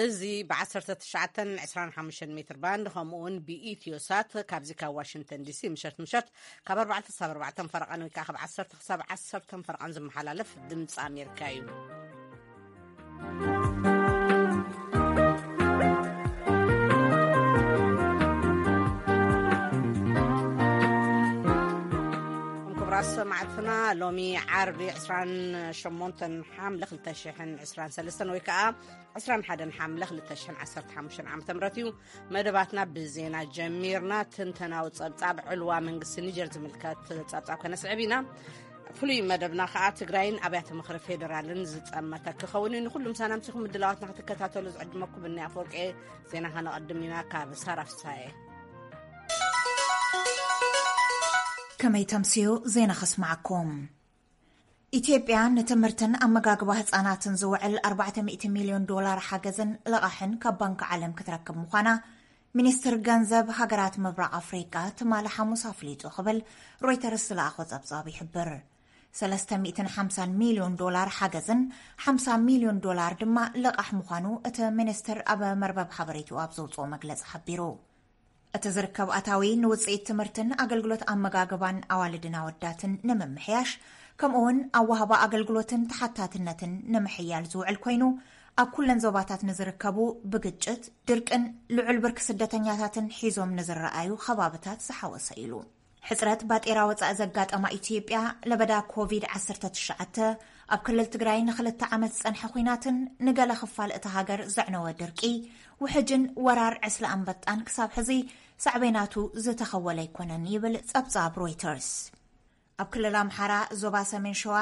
እዚ ብ19 25 ሜትር ባንድ፣ ከምኡ እውን ብኢትዮ ሳት ካብዚ ካብ ዋሽንግተን ዲሲ ምሸት ምሸት ካብ ኣርባዕተ ክሳብ ኣርባዕተ ፈረቓን ወይ ከዓ ካብ ዓሰርተ ክሳብ ዓሰርተ ፈረቓን ዝመሓላለፍ ድምፂ ኣሜሪካ እዩ። ክቡራት ሰማዕትና፣ ሎሚ ዓርቢ ዕስራን ሸሞንተን ሓምለ ክልተ ሽሕን ዕስራን ሰለስተን ወይ ከዓ ዕስራን ሓደን ሓምለ ክልተ ሽሕን ዓሰርተ ሓሙሽተን ዓመተ ምህረት እዩ። መደባትና ብዜና ጀሚርና። ትንተናዊ ጸብጻብ ዕልዋ መንግስቲ ኒጀር ዝምልከት ጸብጻብ ከነስዕብ ኢና። ፍሉይ መደብና ከኣ ትግራይን ኣብያተ ምኽሪ ፌዴራልን ዝጸመተ ክኸውን እዩ። ንኹሉም ሳናምሲኹም ምድላዋትና ክትከታተሉ ዝዕድመኩም ብኒ ኣፈወርቂ። ዜና ከነቐድም ኢና ካብ ሳራ ፍሳየ። ከመይ ተምስዩ ዜና ከስማዓኩም። ኢትዮጵያ ንትምህርትን ኣመጋግባ ህጻናትን ዝውዕል ኣርባዕተ ሚእቲ ሚልዮን ዶላር ሓገዝን ልቓሕን ካብ ባንክ ዓለም ክትረክብ ምዃና ሚኒስትር ገንዘብ ሃገራት ምብራቕ ኣፍሪቃ ትማሊ ሓሙስ ኣፍሊጡ ክብል ሮይተርስ ዝለኣኾ ጸብጻብ ይሕብር። ሰለስተ ሚእትን ሓምሳን ሚልዮን ዶላር ሓገዝን ሓምሳ ሚልዮን ዶላር ድማ ልቓሕ ምዃኑ እቲ ሚኒስትር ኣብ መርበብ ሓበሬትኡ ኣብ ዘውጽኦ መግለጺ ሓቢሩ። እቲ ዝርከብ ኣታዊ ንውጽኢት ትምህርትን ኣገልግሎት ኣመጋግባን ኣዋልድን ኣወዳትን ንምምሕያሽ፣ ከምኡውን ኣዋህባ ኣገልግሎትን ተሓታትነትን ንምሕያል ዝውዕል ኮይኑ፣ ኣብ ኩለን ዞባታት ንዝርከቡ ብግጭት፣ ድርቅን ልዑል ብርኪ ስደተኛታትን ሒዞም ንዝረኣዩ ከባብታት ዝሓወሰ ኢሉ። ሕጽረት ባጤራ ወጻኢ ዘጋጠማ ኢትዮጵያ፣ ለበዳ ኮቪድ ዓሰርተ ትሽዓተ፣ ኣብ ክልል ትግራይ ንኽልተ ዓመት ዝጸንሐ ኲናትን ንገለ ክፋል እታ ሃገር ዘዕነወ ድርቂ፣ ውሕጅን ወራር ዕስለ ኣንበጣን ክሳብ ሕዚ ሳዕቤናቱ ዝተኸወለ ኣይኮነን ይብል ጸብጻብ ሮይተርስ። ኣብ ክልል ኣምሓራ ዞባ ሰሜን ሸዋ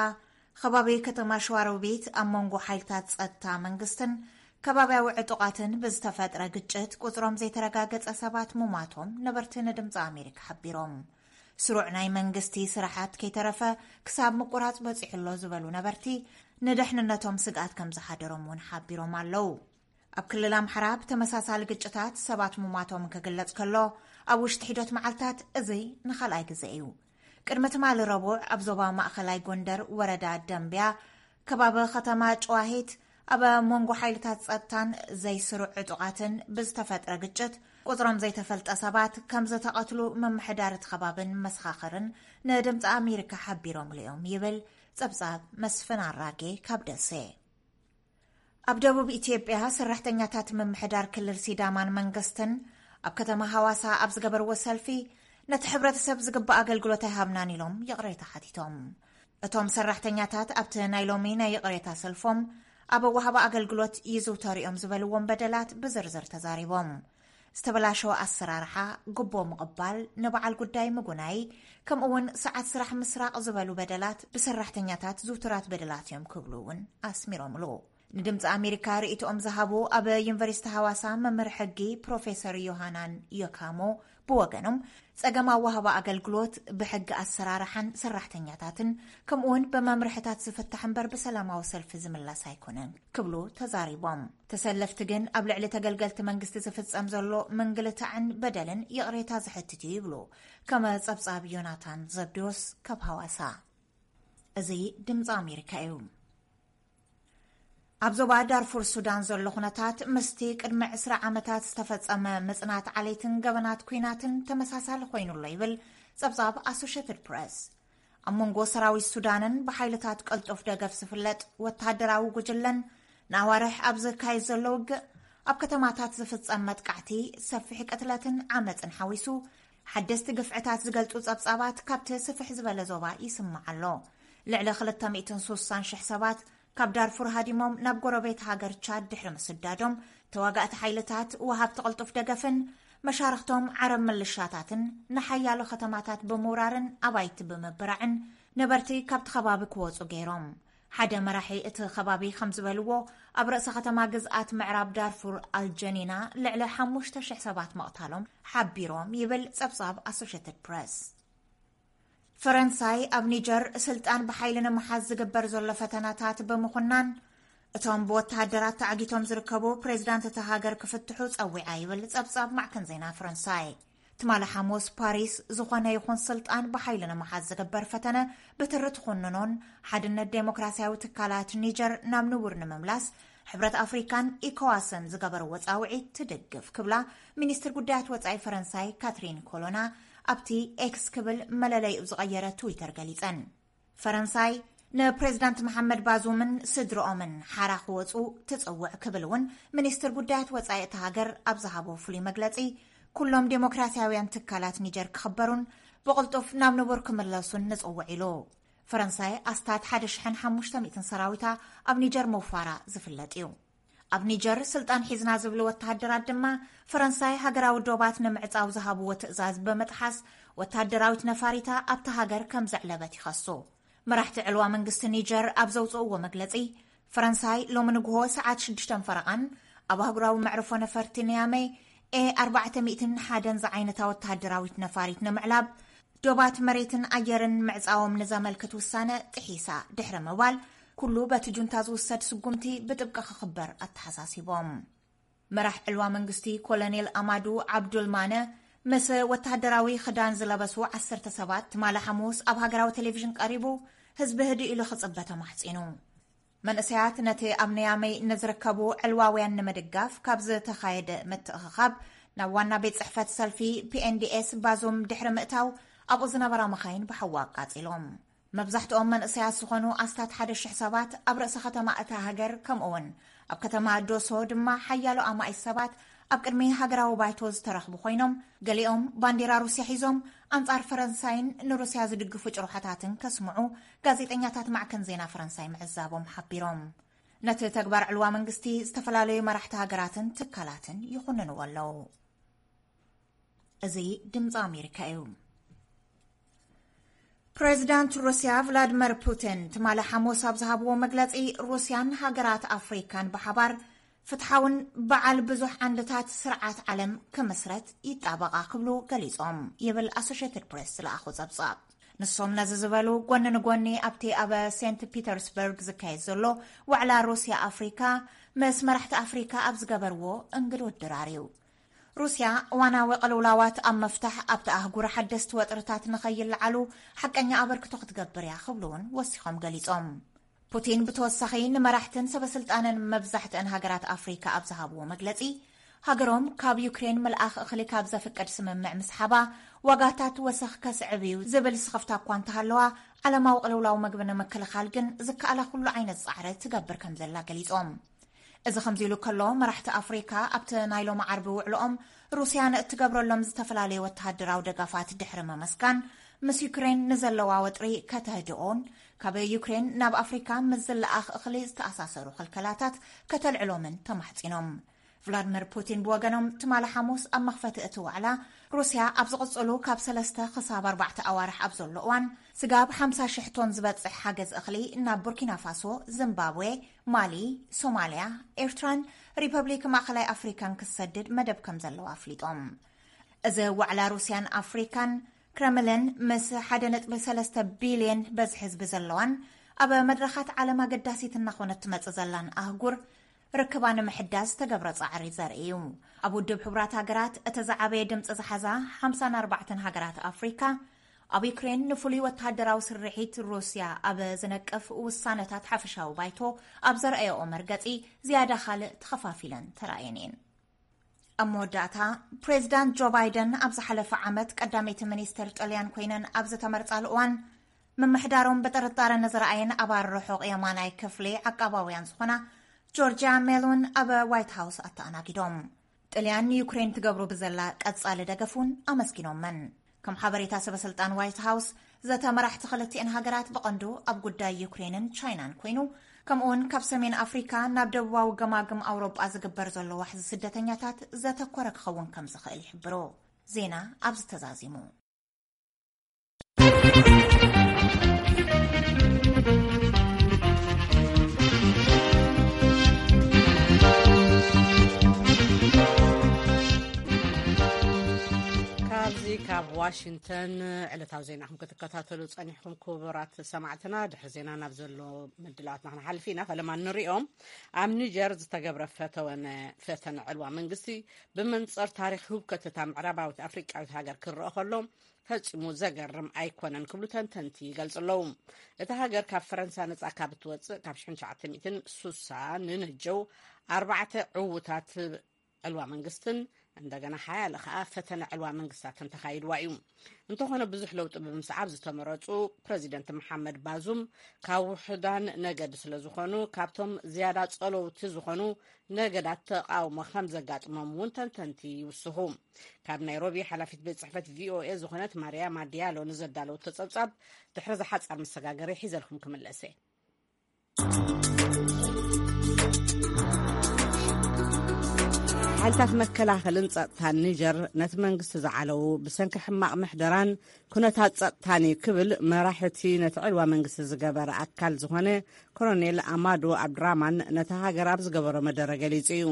ከባቢ ከተማ ሸዋሮቢት ኣብ መንጎ ሓይልታት ጸጥታ መንግስትን ከባብያዊ ዕጡቓትን ብዝተፈጥረ ግጭት ቁጽሮም ዘይተረጋገጸ ሰባት ምሟቶም ነበርቲ ንድምፂ ኣሜሪካ ሓቢሮም። ስሩዕ ናይ መንግስቲ ስራሓት ከይተረፈ ክሳብ ምቁራጽ በጺሑ ኣሎ ዝበሉ ነበርቲ፣ ንደሕንነቶም ስግኣት ከም ዝሓደሮም እውን ሓቢሮም ኣለዉ። ኣብ ክልል ኣምሓራ ብተመሳሳሊ ግጭታት ሰባት ምሟቶም ክግለጽ ከሎ፣ ኣብ ውሽጢ ሒደት መዓልታት እዚ ንኻልኣይ ግዜ እዩ። ቅድሚ ትማሊ ረቡዕ ኣብ ዞባ ማእኸላይ ጎንደር ወረዳ ደምብያ ከባቢ ከተማ ጨዋሂት ኣብ መንጎ ሓይልታት ጸጥታን ዘይስሩዕ ዕጡቓትን ብዝተፈጥረ ግጭት ቁጽሮም ዘይተፈልጠ ሰባት ከም ዝተቐትሉ ምምሕዳር እቲ ከባብን መሰኻኽርን ንድምፂ ኣሜሪካ ሓቢሮምሉ እዮም ይብል ጸብጻብ መስፍን ኣራጌ ካብ ደሴ። ኣብ ደቡብ ኢትዮጵያ ሰራሕተኛታት ምምሕዳር ክልል ሲዳማን መንግስትን ኣብ ከተማ ሃዋሳ ኣብ ዝገበርዎ ሰልፊ ነቲ ሕብረተሰብ ዝግባእ ኣገልግሎት ኣይሃብናን ኢሎም ይቕሬታ ሓቲቶም። እቶም ሰራሕተኛታት ኣብቲ ናይ ሎሚ ናይ ይቕሬታ ሰልፎም ኣብ ወሃባ ኣገልግሎት ይዝውተሩ እዮም ዝበልዎም በደላት ብዝርዝር ተዛሪቦም። ዝተበላሸወ ኣሰራርሓ፣ ግቦ ምቕባል፣ ንበዓል ጉዳይ ምጉናይ፣ ከምኡ እውን ሰዓት ስራሕ ምስራቕ ዝበሉ በደላት ብሰራሕተኛታት ዝውቱራት በደላት እዮም ክብሉ እውን ኣስሚሮምሉ። ንድምፂ ኣሜሪካ ርእይቶኦም ዝሃቡ ኣብ ዩኒቨርሲቲ ሃዋሳ መምህር ሕጊ ፕሮፌሰር ዮሃናን ዮካሞ ብወገኖም፣ ጸገም ኣዋህባ ኣገልግሎት ብሕጊ ኣሰራርሓን ሰራሕተኛታትን ከምኡውን ብመምርሕታት ዝፍታሕ እምበር ብሰላማዊ ሰልፊ ዝምላስ ኣይኮነን ክብሉ ተዛሪቦም። ተሰለፍቲ ግን ኣብ ልዕሊ ተገልገልቲ መንግስቲ ዝፍጸም ዘሎ ምንግልታዕን በደልን ይቕሬታ ዝሕትት እዩ ይብሉ። ከመ ጸብጻብ ዮናታን ዘብዴዎስ ካብ ሃዋሳ። እዚ ድምፂ ኣሜሪካ እዩ። ኣብ ዞባ ዳርፉር ሱዳን ዘሎ ኩነታት ምስቲ ቅድሚ ዕስራ ዓመታት ዝተፈጸመ ምጽናት ዓሌትን ገበናት ኲናትን ተመሳሳሊ ኮይኑ ኣሎ ይብል ጸብጻብ ኣሶሽየትድ ፕረስ። ኣብ መንጎ ሰራዊት ሱዳንን ብሓይልታት ቀልጡፍ ደገፍ ዝፍለጥ ወተሃደራዊ ጉጅለን ንኣዋርሕ ኣብ ዝካየድ ዘሎ ውግእ ኣብ ከተማታት ዝፍጸም መጥቃዕቲ ሰፊሕ ቅትለትን ዓመጽን ሓዊሱ ሓደስቲ ግፍዕታት ዝገልጹ ጸብጻባት ካብቲ ስፍሕ ዝበለ ዞባ ይስማዕ ኣሎ። ልዕሊ ክልተ ሚእትን ስሳን ሽሕ ሰባት ካብ ዳርፉር ሃዲሞም ናብ ጎረቤት ሃገር ቻድ ድሕሪ ምስዳዶም፣ ተዋጋእቲ ሓይልታት ወሃብቲ ቅልጡፍ ደገፍን መሻርኽቶም ዓረብ ምልሻታትን ንሓያሎ ከተማታት ብምውራርን ኣባይቲ ብምብራዕን ነበርቲ ካብቲ ከባቢ ክወጹ ገይሮም። ሓደ መራሒ እቲ ከባቢ ከም ዝበልዎ፣ ኣብ ርእሰ ከተማ ግዝኣት ምዕራብ ዳርፉር ኣልጀኒና ልዕሊ ሓሙሽተ ሽሕ ሰባት ምቕታሎም ሓቢሮም ይብል ጸብጻብ ኣሶሽየትድ ፕረስ። ፈረንሳይ ኣብ ኒጀር ስልጣን ብሓይሊ ንምሓዝ ዝግበር ዘሎ ፈተናታት ብምኹናን፣ እቶም ብወተሃደራት ተዓጊቶም ዝርከቡ ፕሬዚዳንት እታ ሃገር ክፍትሑ ጸዊዓ ይብል ጸብጻብ ማዕከን ዜና ፈረንሳይ። ትማሊ ሓሙስ ፓሪስ ዝኾነ ይኹን ስልጣን ብሓይሊ ንምሓዝ ዝግበር ፈተነ ብትሪ ትኹንኖን ሓድነት ዴሞክራሲያዊ ትካላት ኒጀር ናብ ንቡር ንምምላስ ሕብረት ኣፍሪካን ኢኮዋስን ዝገበርዎ ጻውዒት ትድግፍ ክብላ ሚኒስትር ጉዳያት ወጻኢ ፈረንሳይ ካትሪን ኮሎና ኣብቲ ኤክስ ክብል መለለይኡ ዝቐየረ ትዊተር ገሊጸን። ፈረንሳይ ንፕሬዝዳንት መሓመድ ባዙምን ስድርኦምን ሓራ ክወጹ ትጽውዕ ክብል እውን ሚኒስትር ጉዳያት ወጻኢ እታ ሃገር ኣብ ዝሃቦ ፍሉይ መግለጺ፣ ኩሎም ዴሞክራሲያውያን ትካላት ኒጀር ክኽበሩን ብቕልጡፍ ናብ ንቡር ክምለሱን ንጽውዕ ኢሉ። ፈረንሳይ ኣስታት ሓደ ሽሕን ሓሙሽተ ሚእትን ሰራዊታ ኣብ ኒጀር ምውፋራ ዝፍለጥ እዩ። ኣብ ኒጀር ስልጣን ሒዝና ዝብሉ ወተሃደራት ድማ ፈረንሳይ ሃገራዊ ዶባት ንምዕጻው ዝሃብዎ ትእዛዝ ብምጥሓስ ወተሃደራዊት ነፋሪታ ኣብታ ሃገር ከም ዘዕለበት ይኸሱ። መራሕቲ ዕልዋ መንግስቲ ኒጀር ኣብ ዘውጽእዎ መግለጺ፣ ፈረንሳይ ሎሚ ንግሆ ሰዓት ሽዱሽተ ፈረቓን ኣብ ኣህጉራዊ መዕርፎ ነፈርቲ ንያመይ ኤ ኣርባዕተ ሚእትን ሓደን ዝዓይነታ ወተሃደራዊት ነፋሪት ንምዕላብ ዶባት መሬትን ኣየርን ምዕጻዎም ንዘመልክት ውሳነ ጥሒሳ ድሕሪ ምባል፣ ኩሉ በቲ ጁንታ ዝውሰድ ስጉምቲ ብጥብቂ ክኽበር ኣተሓሳሲቦም። መራሕ ዕልዋ መንግስቲ ኮሎኔል ኣማዱ ዓብዱል ማነ ምስ ወተሃደራዊ ክዳን ዝለበሱ ዓሰርተ ሰባት ትማሊ ሓሙስ ኣብ ሃገራዊ ቴሌቪዥን ቀሪቡ፣ ህዝቢ ህድእ ኢሉ ክጽበ ተማሕጺኑ። መንእሰያት ነቲ ኣብ ንያመይ ንዝርከቡ ዕልዋውያን ንምድጋፍ ካብ ዝተኻየደ ምትእኽኻብ ናብ ዋና ቤት ጽሕፈት ሰልፊ ፒ ኤን ዲ ኤስ ባዙም ድሕሪ ምእታው ኣብኡ ዝነበራ መኻይን ብሓዊ ኣቃጺሎም። መብዛሕትኦም መንእሰያት ዝኾኑ ኣስታት ሓደ ሽሕ ሰባት ኣብ ርእሰ ከተማ እታ ሃገር ከምኡ እውን ኣብ ከተማ ዶሶ ድማ ሓያሎ ኣማኢት ሰባት ኣብ ቅድሚ ሃገራዊ ባይቶ ዝተረኽቡ ኮይኖም፣ ገሊኦም ባንዴራ ሩስያ ሒዞም ኣንጻር ፈረንሳይን ንሩስያ ዝድግፉ ጭርሖታትን ከስምዑ ጋዜጠኛታት ማዕከን ዜና ፈረንሳይ ምዕዛቦም ሓቢሮም። ነቲ ተግባር ዕልዋ መንግስቲ ዝተፈላለዩ መራሕቲ ሃገራትን ትካላትን ይኹንንዎ ኣለዉ። እዚ ድምፂ ኣሜሪካ እዩ። ፕሬዚዳንት ሩስያ ቭላድመር ፑቲን ትማሊ ሓሙስ ኣብ ዝሃብዎ መግለፂ፣ ሩስያን ሃገራት ኣፍሪካን ብሓባር ፍትሓውን በዓል ብዙሕ ዓንድታት ስርዓት ዓለም ክምስረት ይጣበቓ ክብሉ ገሊጾም ይብል ኣሶሽየትድ ፕሬስ ዝለኣኾ ጸብጻብ። ንሶም ነዚ ዝበሉ ጎኒ ንጎኒ ኣብቲ ኣብ ሴንት ፒተርስበርግ ዝካየድ ዘሎ ዋዕላ ሩስያ ኣፍሪካ ምስ መራሕቲ ኣፍሪካ ኣብ ዝገበርዎ እንግድውት ድራር እዩ። ሩስያ እዋናዊ ቅልውላዋት ኣብ ምፍታሕ ኣብቲ ኣህጉር ሓደስቲ ወጥርታት ንኸይለዓሉ ሓቀኛ ኣበርክቶ ክትገብር እያ ክብሉ እውን ወሲኾም ገሊጾም። ፑቲን ብተወሳኺ ንመራሕትን ሰበስልጣንን መብዛሕትአን ሃገራት ኣፍሪካ ኣብ ዝሃብዎ መግለጺ፣ ሃገሮም ካብ ዩክሬን ምልኣኽ እኽሊ ካብ ዘፍቅድ ስምምዕ ምስሓባ ዋጋታት ወሰኽ ከስዕብ እዩ ዝብል ስኽፍታ እኳ እንተሃለዋ፣ ዓለማዊ ቅልውላው መግቢ ንምክልኻል ግን ዝከኣላ ኩሉ ዓይነት ጻዕሪ ትገብር ከም ዘላ ገሊጾም። እዚ ከምዚ ኢሉ ከሎ፣ መራሕቲ ኣፍሪካ ኣብቲ ናይ ሎሚ ዓርቢ ውዕልኦም ሩስያ ንእትገብረሎም ዝተፈላለዩ ወተሃደራዊ ደጋፋት ድሕሪ ምምስጋን፣ ምስ ዩክሬን ንዘለዋ ወጥሪ ከተህድኦን ካብ ዩክሬን ናብ ኣፍሪካ ምስ ዝለኣኽ እኽሊ ዝተኣሳሰሩ ክልከላታት ከተልዕሎምን ተማሕጺኖም። ቭላድሚር ፑቲን ብወገኖም ትማሊ ሓሙስ ኣብ መኽፈቲ እቲ ዋዕላ፣ ሩስያ ኣብ ዝቕጽሉ ካብ ሰለስተ ክሳብ ኣርባዕተ ኣዋርሕ ኣብ ዘሎ እዋን ስጋብ ሓምሳ ሽሕ ቶን ዝበጽሕ ሓገዝ እኽሊ ናብ ቡርኪና ፋሶ፣ ዚምባብዌ፣ ማሊ፣ ሶማልያ፣ ኤርትራን ሪፐብሊክ ማእኸላይ ኣፍሪካን ክትሰድድ መደብ ከም ዘለዋ ኣፍሊጦም። እዚ ዋዕላ ሩስያን ኣፍሪካን፣ ክረምሊን ምስ ሓደ ነጥቢ ሰለስተ ቢልዮን በዝሒ ህዝቢ ዘለዋን ኣብ መድረኻት ዓለም ኣገዳሲት እናኾነት ትመጽእ ዘላን ኣህጉር ርክባ ንምሕዳስ ዝተገብረ ጻዕሪ ዘርኢ እዩ። ኣብ ውድብ ሕቡራት ሃገራት እቲ ዝዓበየ ድምፂ ዝሓዛ ሓምሳን ኣርባዕተን ሃገራት ኣፍሪካ፣ ኣብ ዩክሬን ንፍሉይ ወተሃደራዊ ስርሒት ሩስያ ኣብ ዝነቅፍ ውሳነታት ሓፈሻዊ ባይቶ ኣብ ዘርኣየኦ መርገጺ ዝያዳ ካልእ ተኸፋፊለን ተራእየን እየን። ኣብ መወዳእታ፣ ፕሬዚዳንት ጆ ባይደን ኣብ ዝሓለፈ ዓመት ቀዳመይቲ ሚኒስትር ጥልያን ኮይነን ኣብ ዝተመርጻሉ እዋን፣ ምምሕዳሮም ብጥርጣረ ንዝረኣየን ኣባል ርሑቕ የማናይ ክፍሊ ዓቃባውያን ዝኾና ጆርጂያ ሜሎን ኣብ ዋይት ሃውስ ኣተኣናጊዶም። ጥልያን ንዩክሬን ትገብሮ ብዘላ ቀጻሊ ደገፍ እውን ኣመስጊኖመን። ከም ሓበሬታ ሰበስልጣን ዋይት ሃውስ፣ ዘተ መራሕቲ ክልቲኤን ሃገራት ብቐንዱ ኣብ ጉዳይ ዩክሬንን ቻይናን ኮይኑ፣ ከምኡውን ካብ ሰሜን ኣፍሪካ ናብ ደቡባዊ ገማግም ኣውሮጳ ዝግበር ዘሎ ዋሕዚ ስደተኛታት ዘተኮረ ክኸውን ከም ዝኽእል ይሕብሩ። ዜና ኣብዚ ተዛዚሙ። ኣብ ዋሽንግተን ዕለታዊ ዜናኹም ክትከታተሉ ጸኒሕኩም ክቡራት ሰማዕትና፣ ድሕሪ ዜና ናብ ዘሎ ምድላዋትና ክንሓልፍ ኢና። ፈለማ ንሪኦም። ኣብ ኒጀር ዝተገብረ ፈተወነ-፣ ፈተነ ዕልዋ መንግስቲ ብመንጽር ታሪኽ ህውከት እታ ምዕራባዊት ኣፍሪቃዊት ሃገር ክረአ ከሎ ፈጺሙ ዘገርም ኣይኮነን ክብሉ ተንተንቲ ይገልጹ ኣለዉ። እታ ሃገር ካብ ፈረንሳ ነጻ ካብ እትወጽእ ካብ ሽሕን ትሽዓተ ሚእትን ሱሳ ንነጀው ኣርባዕተ ዕዉታት ዕልዋ መንግስትን እንደገና ሓያለ ከኣ ፈተነ ዕልዋ መንግስታትን ተኻይድዋ እዩ። እንተኾነ ብዙሕ ለውጢ ብምስዓብ ዝተመረጹ ፕረዚደንት መሓመድ ባዙም ካብ ውሕዳን ነገድ ስለ ዝኾኑ ካብቶም ዝያዳ ጸለውቲ ዝኾኑ ነገዳት ተቓውሞ ከም ዘጋጥሞም እውን ተንተንቲ ይውስኹ። ካብ ናይሮቢ ሓላፊት ቤት ጽሕፈት ቪ ኦ ኤ ዝኾነት ማርያማ ዲያሎ ንዘዳለወቶ ጸብጻብ ድሕሪ ዝሓጻር መሰጋገሪ ሒዘልኩም ክምለሰ። ሓይልታት መከላኸልን ጸጥታን ኒጀር ነቲ መንግስቲ ዝዓለዉ ብሰንኪ ሕማቕ ምሕደራን ኩነታት ጸጥታን እዩ ክብል መራሒ እቲ ነቲ ዕልዋ መንግስቲ ዝገበረ ኣካል ዝኾነ ኮሎኔል ኣማዱ ኣብድራማን ነታ ሃገር ኣብ ዝገበሮ መደረ ገሊጹ እዩ።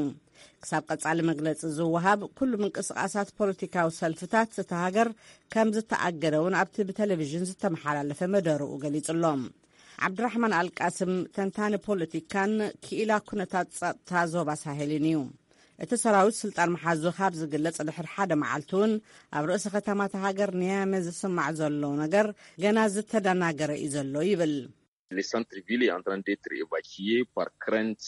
ክሳብ ቀጻሊ መግለጺ ዝወሃብ ኩሉ ምንቅስቓሳት ፖለቲካዊ ሰልፍታት እታ ሃገር ከም ዝተኣገደ እውን ኣብቲ ብቴሌቪዥን ዝተመሓላለፈ መደርኡ ገሊጹ ኣሎ። ዓብድራሕማን ኣልቃስም ተንታኒ ፖለቲካን ክኢላ ኩነታት ጸጥታ ዞባ ሳሄልን እዩ። እቲ ሰራዊት ስልጣን መሓዙ ካብ ዝግለጽ ድሕሪ ሓደ መዓልቲ እውን ኣብ ርእሲ ከተማታ ሃገር ንያመ ዝስማዕ ዘሎ ነገር ገና ዝተደናገረ እዩ ዘሎ ይብል። Le centre-ville est en train d'être évacué par crainte,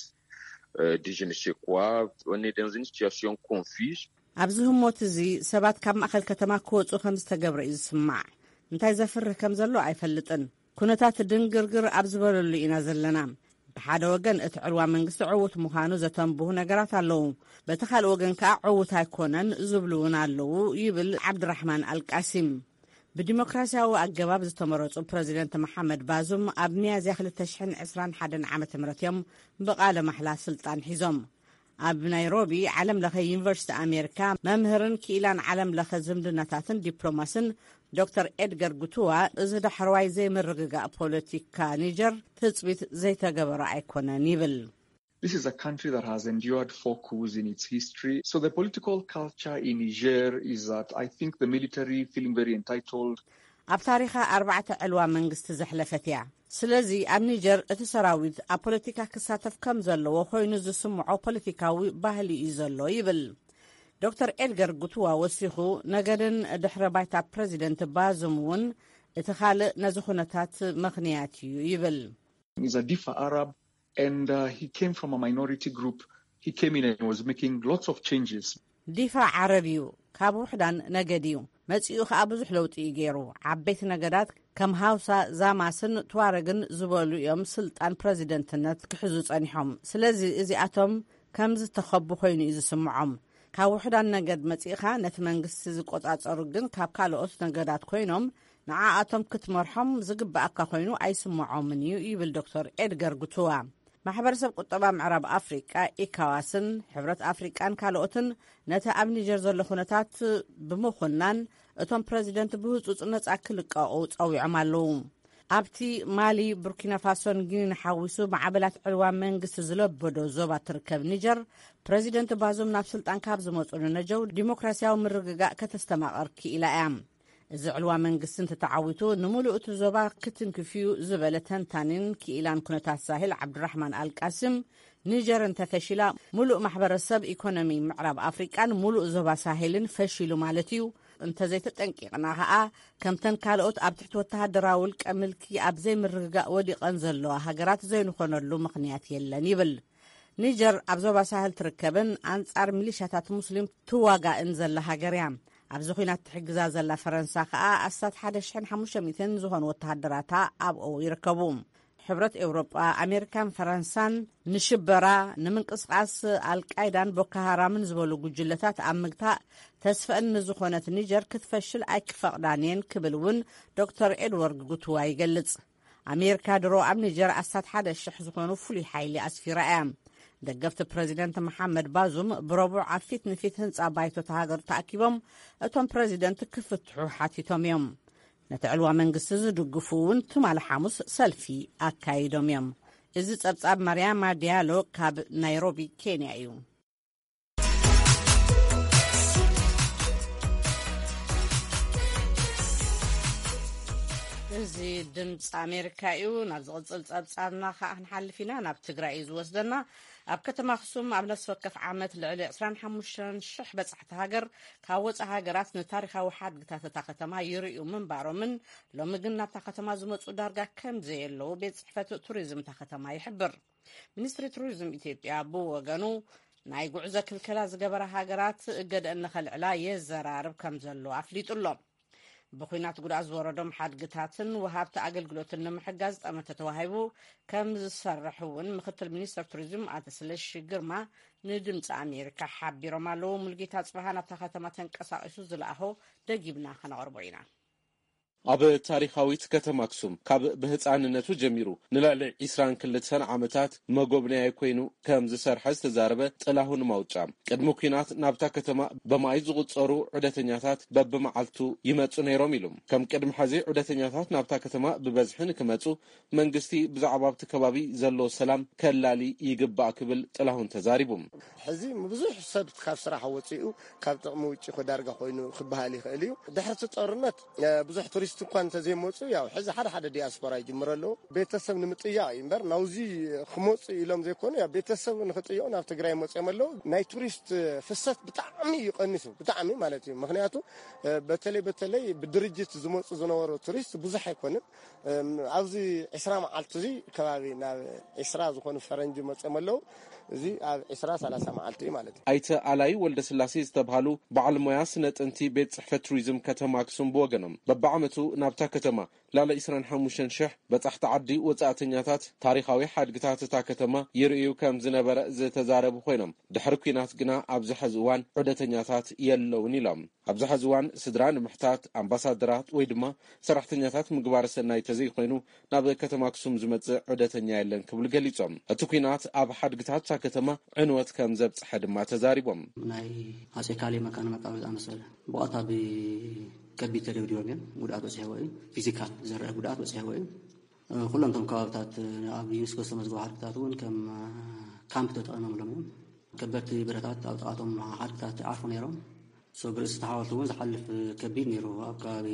euh, de je ne sais quoi. On est dans une situation confuse. ኣብዚ ህሞት እዚ ሰባት ካብ ማእከል ከተማ ክወጹ ከም ዝተገብረ እዩ ዝስማዕ። እንታይ ዘፍርህ ከም ዘሎ ኣይፈልጥን። ኩነታት ድንግርግር ኣብ ዝበለሉ ኢና ዘለና። ብሓደ ወገን እቲ ዕልዋ መንግስቲ ዕዉት ምዃኑ ዘተንብሁ ነገራት ኣለዉ። በቲ ካልእ ወገን ከኣ ዕዉት ኣይኮነን ዝብሉ እውን ኣለዉ ይብል ዓብድራሕማን ኣልቃሲም። ብዲሞክራሲያዊ ኣገባብ ዝተመረጹ ፕረዚደንት መሓመድ ባዙም ኣብ ሚያዝያ ክልተ ሽሕን ዕስራን ሓደን ዓመተ ምህረት እዮም ብቓለ ማሕላ ስልጣን ሒዞም። ኣብ ናይሮቢ ዓለም ለኸ ዩኒቨርሲቲ ኣሜሪካ መምህርን ክኢላን ዓለም ለኸ ዝምድናታትን ዲፕሎማስን ዶክተር ኤድገር ጉቱዋ፣ እዚ ዳሕረዋይ ዘይምርግጋእ ፖለቲካ ኒጀር ትጽቢት ዘይተገበረ ኣይኮነን ይብል። This is a country that has endured four coups in its history. So the political culture in Niger is that I think the military feeling very entitled. ኣብ ታሪኻ ኣርባዕተ ዕልዋ መንግስቲ ዘሕለፈት እያ። ስለዚ ኣብ ኒጀር እቲ ሰራዊት ኣብ ፖለቲካ ክሳተፍ ከም ዘለዎ ኮይኑ ዝስምዖ ፖለቲካዊ ባህሊ እዩ ዘሎ ይብል። ዶክተር ኤድገር ጉትዋ ወሲኹ፣ ነገድን ድሕረ ባይታ ፕረዚደንት ባዙም እውን እቲ ካልእ ነዚ ኩነታት ምኽንያት እዩ ይብል። He's a Difa Arab and, uh, he came from a minority group. He came in and was making lots of changes. ዲፋ ዓረብ እዩ፣ ካብ ውሕዳን ነገድ እዩ። መጺኡ ከኣ ብዙሕ ለውጢ እዩ ገይሩ። ዓበይቲ ነገዳት ከም ሃውሳ፣ ዛማስን ትዋረግን ዝበሉ እዮም ስልጣን ፕረዚደንትነት ክሕዙ ጸኒሖም። ስለዚ እዚኣቶም ከም ዝተኸቡ ኮይኑ እዩ ዝስምዖም። ካብ ውሕዳን ነገድ መጺእኻ ነቲ መንግስቲ ዝቆጻጸሩ ግን ካብ ካልኦት ነገዳት ኮይኖም ንዓኣቶም ክትመርሖም ዝግብኣካ ኮይኑ ኣይስምዖምን እዩ ይብል ዶክተር ኤድገር ጉትዋ። ማሕበረሰብ ቁጠባ ምዕራብ ኣፍሪቃ፣ ኢካዋስን ሕብረት ኣፍሪቃን ካልኦትን ነቲ ኣብ ኒጀር ዘሎ ኩነታት ብምኹናን እቶም ፕረዚደንት ብህጹጽ ነጻ ክልቀቑ ጸዊዖም ኣለዉ። ኣብቲ ማሊ፣ ቡርኪና ፋሶን ጊኒን ሓዊሱ ማዕበላት ዕልዋ መንግስቲ ዝለበዶ ዞባ ትርከብ ኒጀር፣ ፕረዚደንት ባዙም ናብ ስልጣን ካብ ዝመጹ ንነጀው ዲሞክራሲያዊ ምርግጋእ ከተስተማቐር ክኢላ እያ። እዚ ዕልዋ መንግስቲ እንተተዓዊቱ፣ ንምሉእ እቲ ዞባ ክትንክፍ እዩ ዝበለ ተንታኒን ክኢላን ኩነታት ሳሄል ዓብዱራሕማን ኣልቃሲም፣ ኒጀር እንተፈሺላ፣ ምሉእ ማሕበረሰብ ኢኮኖሚ ምዕራብ ኣፍሪቃን ምሉእ ዞባ ሳሄልን ፈሺሉ ማለት እዩ። እንተዘይተጠንቂቕና ከኣ፣ ከምተን ካልኦት ኣብ ትሕቲ ወተሃደራዊ ውልቀ ምልኪ ኣብ ዘይምርግጋእ ወዲቐን ዘለዋ ሃገራት ዘይንኾነሉ ምኽንያት የለን ይብል። ኒጀር ኣብ ዞባ ሳህል ትርከብን ኣንጻር ሚሊሻታት ሙስሊም ትዋጋእን ዘላ ሃገር እያ። ኣብዚ ኲናት ትሕግዛ ዘላ ፈረንሳ ከኣ ኣስታት ሓደ ሽሕን ሓሙሽተ ሚእትን ዝኾኑ ወተሃደራታ ኣብኡ ይርከቡ። ሕብረት ኤውሮጳ፣ ኣሜሪካን ፈረንሳን ንሽበራ፣ ንምንቅስቓስ ኣልቃይዳን ቦኮ ሃራምን ዝበሉ ጉጅለታት ኣብ ምግታእ ተስፈአን ንዝኾነት ኒጀር ክትፈሽል ኣይክፈቕዳን እየን ክብል እውን ዶክተር ኤድዋርድ ጉትዋ ይገልጽ። ኣሜሪካ ድሮ ኣብ ኒጀር ኣስታት ሓደ ሽሕ ዝኾኑ ፍሉይ ሓይሊ ኣስፊራ እያ። ደገፍቲ ፕረዚደንት መሓመድ ባዙም ብረቡዕ ኣብ ፊት ንፊት ህንጻ ባይቶ እታ ሃገር ተኣኪቦም እቶም ፕረዚደንት ክፍትሑ ሓቲቶም እዮም። ነቲ ዕልዋ መንግስቲ ዝድግፉ እውን ትማሊ ሓሙስ ሰልፊ ኣካይዶም እዮም። እዚ ጸብጻብ ማርያማ ዲያሎ ካብ ናይሮቢ ኬንያ እዩ። ድምፂ ኣሜሪካ እዩ። ናብ ዝቕፅል ፀብፃብና ከዓ ክንሓልፍ ኢና። ናብ ትግራይ እዩ ዝወስደና። ኣብ ከተማ ኣክሱም ኣብ ነፍሲ ወከፍ ዓመት ልዕሊ ዕስራን ሓሙሽተን ሽሕ በፃሕቲ ሃገር ካብ ወፃኢ ሃገራት ንታሪካዊ ሓድግታት እታ ከተማ ይርእዩ ምንባሮምን ሎሚ ግን ናብታ ከተማ ዝመፁ ዳርጋ ከም ዘየለዉ ቤት ፅሕፈት ቱሪዝም እታ ከተማ ይሕብር። ሚኒስትሪ ቱሪዝም ኢትዮጵያ ብወገኑ ናይ ጉዕዞ ክልከላ ዝገበራ ሃገራት እገደአን ንኸልዕላ የዘራርብ ከም ዘሎ ኣፍሊጡ ኣሎ። ብኹናት ጉድኣት ዝወረዶም ሓድግታትን ወሃብቲ ኣገልግሎትን ንምሕጋዝ ጠመተ ተዋሂቡ ከም ዝሰርሕ እውን ምክትል ሚኒስትር ቱሪዝም ኣቶ ስለሺ ግርማ ንድምፂ ኣሜሪካ ሓቢሮም ኣለዉ። ሙልጌታ ጽባሃ ናብታ ከተማ ተንቀሳቒሱ ዝለኣኾ ደጊብና ከነቕርቦ ኢና። ኣብ ታሪኻዊት ከተማ ኣክሱም ካብ ብህፃንነቱ ጀሚሩ ንልዕሊ ዒስራን ክልተን ዓመታት መጎብነያይ ኮይኑ ከም ዝሰርሐ ዝተዛረበ ጥላሁን ማውጫ፣ ቅድሚ ኲናት ናብታ ከተማ በማይ ዝቑጸሩ ዑደተኛታት በብመዓልቱ ይመጹ ነይሮም ኢሉ። ከም ቅድሚ ሕዚ ዑደተኛታት ናብታ ከተማ ብበዝሒ ንክመጹ መንግስቲ ብዛዕባ ኣብቲ ከባቢ ዘሎ ሰላም ከላሊ ይግባእ ክብል ጥላሁን ተዛሪቡ። ሕዚ ብዙሕ ሰብ ካብ ስራሕ ወፂኡ ካብ ጥቕሚ ውጭ ኮ ዳርጋ ኮይኑ ክበሃል ይኽእል እዩ። ድሕርቲ ጦርነት ብዙሕ ቱሪስት እኳ እንተዘይመፁ፣ ያው ሕዚ ሓደ ሓደ ዲያስፖራ ይጅምረ ኣለዉ። ቤተሰብ ንምጥያቕ እዩ እምበር ናውዚ ክመፁ ኢሎም ዘይኮኑ፣ ያው ቤተሰብ ንክጥየቑ ናብ ትግራይ መፅኦም ኣለዉ። ናይ ቱሪስት ፍሰት ብጣዕሚ እዩ ቀኒሱ፣ ብጣዕሚ ማለት እዩ። ምክንያቱ በተለይ በተለይ ብድርጅት ዝመፁ ዝነበሩ ቱሪስት ብዙሕ ኣይኮንን። ኣብዚ ዕስራ መዓልቲ እዚ ከባቢ ናብ ዕስራ ዝኾኑ ፈረንጂ መፅኦም ኣለዉ። እዚ ኣብ ዕስራ ሰላሳ መዓልቲ እዩ ማለት እዩ። ኣይተ ኣላይ ወልደስላሴ ዝተብሃሉ በዓል ሞያ ስነ ጥንቲ ቤት ፅሕፈት ቱሪዝም ከተማ ኣክሱም ብወገኖም በብዓመቱ ናብታ ከተማ ላለ ዕስራን ሓሙሽተን ሽሕ በፃሕቲ ዓዲ ወፃእተኛታት ታሪኻዊ ሓድግታት እታ ከተማ ይርእዩ ከም ዝነበረ ዝተዛረቡ ኮይኖም ድሕሪ ኲናት ግና ኣብዚ ሕዚ እዋን ዑደተኛታት የለውን ኢሎም። ኣብዚ ሕዚ እዋን ስድራ ንምሕታት ኣምባሳደራት ወይ ድማ ሰራሕተኛታት ምግባረ ሰናይ ተዘይኮይኑ ናብ ከተማ ኣክሱም ዝመጽእ ዑደተኛ የለን ክብሉ ገሊጾም። እቲ ኲናት ኣብ ሓድግታት እታ ከተማ ዕንወት ከም ዘብጽሐ ድማ ተዛሪቦም። ናይ ኣጼ ካሌ መካነ መቃብር ዝኣመሰለ ብቐጥታ ብከቢድ ተደብዲቦም እዮም። ጉድኣት በጺሕዎ እዩ። ፊዚካል ዝረአ ጉድኣት በጺሕዎ እዩ። ኩሎም እቶም ከባብታት ኣብ ዩኒስኮ ዝተመዝገቡ ሓድግታት እውን ከም ካምፕ ተጠቒሞምሎም እዮም። ከበድቲ ብረታት ኣብ ጥቓቶም ሓድግታት ይዓርፉ ነይሮም። ሶ ብርእሲ ተሓወልቲ እውን ዝሓልፍ ከቢድ ነይሩ። ኣብ ከባቢ